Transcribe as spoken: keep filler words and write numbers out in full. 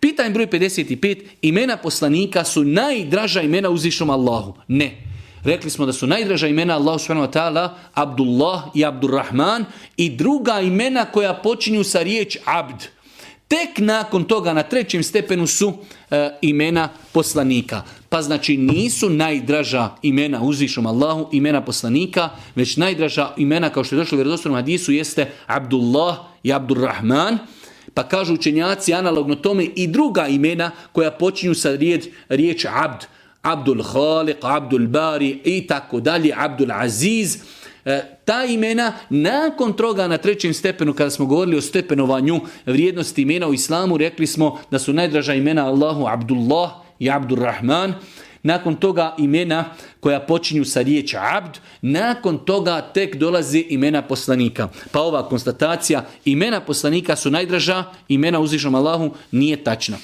Pitanje broj pedeset pet. Imena poslanika su najdraža imena uzvišenom Allahu. Ne. Rekli smo da su najdraža imena Allahu subhanahu wa ta'ala Abdullah i Abdurrahman i druga imena koja počinju sa riječ abd. Tek nakon toga na trećem stepenu su e, imena poslanika. Pa znači nisu najdraža imena uzvišenom Allahu imena poslanika, već najdraža imena kao što je došlo u vjerodostojnom hadisu jeste Abdullah i Abdurrahman. Pa kažu učenjaci analogno tome i druga imena koja počinju sa riječ, riječ abd. Abdul Khaliq, Abdul Bari i tako dalje, Abdul Aziz. E, ta imena nakon toga na trećem stepenu kada smo govorili o stepenovanju vrijednosti imena u islamu, rekli smo da su najdraža imena Allahu Abdullah i Abdurrahman. Nakon toga imena koja počinju sa riječ abd, nakon toga tek dolazi imena poslanika. Pa ova konstatacija imena poslanika su najdraža, imena uzvišenom Allahu nije tačna.